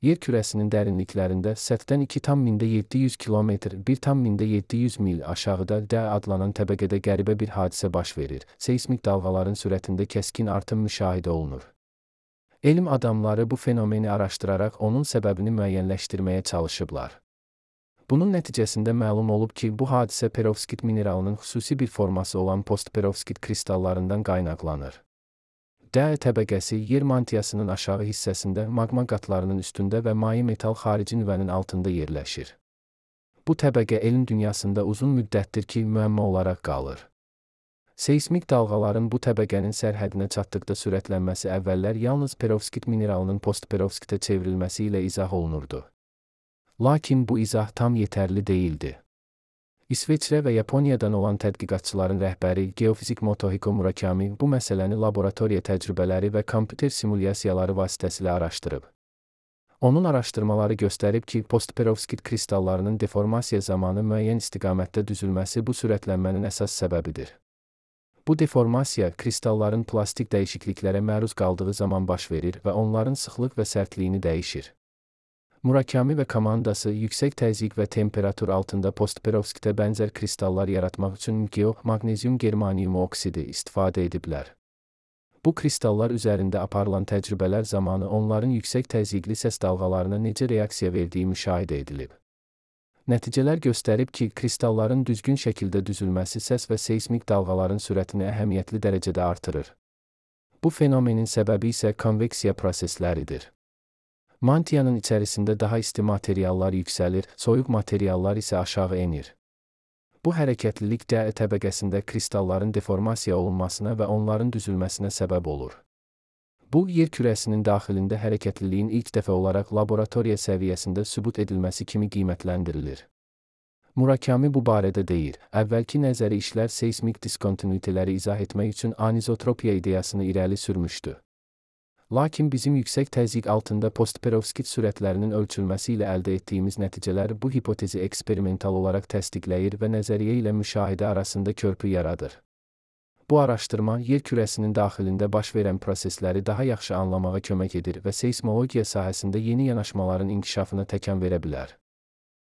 yer kürəsinin dərinliklərində səthdən 2,700 kilometr, 1,700 mil aşağıda D adlanan təbəqədə qəribə bir hadisə baş verir. Seismik dalğaların sürətində kəskin artım müşahidə olunur. Elm adamları bu fenomeni araşdıraraq onun səbəbini müəyyənləşdirməyə çalışıblar. Bunun nəticəsində məlum olub ki, bu hadisə perovskit mineralının xüsusi bir forması olan postperovskit kristallarından qaynaqlanır. D təbəqəsi yer mantiyasının aşağı hissəsində maqma qatlarının üstündə və maye metal xarici nüvənin altında yerləşir. Bu təbəqə elm dünyasında uzun müddətdir ki, müəmma olaraq qalır. Seismik dalğaların bu təbəqənin sərhədinə çatdıqda sürətlənməsi əvvəllər yalnız perovskit mineralının postperovskitə çevrilməsi ilə izah olunurdu. Lakin bu izah tam yetərli değildi. İsveçrə və Yaponiyadan olan tədqiqatçıların rəhbəri geofizik Motohiko Murakami bu məsələni laboratoriya təcrübələri və kompüter simulyasiyaları vasitəsilə araşdırıb. Onun araşdırmaları göstərib ki, postperovskit kristallarının deformasiya zamanı müəyyən istiqamətdə düzülməsi bu sürətlənmənin əsas səbəbidir. Bu deformasiya kristalların plastik dəyişikliklərə məruz qaldığı zaman baş verir və onların sıxlıq və sərtliyini dəyişir. Murakami və komandası yüksək təzyiq və temperatur altında postperovskitə bənzər kristallar yaratmaq üçün maqnezium germaniumu oksidi istifadə ediblər. Bu kristallar üzərində aparılan təcrübələr zamanı onların yüksək təzyiqli səs dalğalarına necə reaksiya verdiyi müşahidə edilib. Nəticələr göstərib ki, kristalların düzgün şəkildə düzülməsi səs və seismik dalğaların sürətini əhəmiyyətli dərəcədə artırır. Bu fenomenin səbəbi isə konveksiya prosesləridir. Mantiyanın içərisində daha isti materiallar yüksəlir, soyuq materiallar isə aşağı enir. Bu hərəkətlilik D təbəqəsində kristalların deformasiya olunmasına və onların düzülməsinə səbəb olur. Bu, yer kürəsinin daxilində hərəkətliliyin ilk dəfə olaraq laboratoriya səviyyəsində sübut edilməsi kimi qiymətləndirilir. Murakami bu barədə deyir, əvvəlki nəzəri işlər seismik diskontinuiteləri izah etmək üçün anizotropiya ideyasını irəli sürmüşdü. Lakin bizim yüksək təzyiq altında postperovskit sürətlərinin ölçülməsi ilə əldə etdiyimiz nəticələr bu hipotezi eksperimental olaraq təsdiqləyir və nəzəriyyə ilə müşahidə arasında körpü yaradır. Bu araşdırma yer kürəsinin daxilində baş verən prosesləri daha yaxşı anlamağa kömək edir və seismologiya sahəsində yeni yanaşmaların inkişafına təkan verə bilər.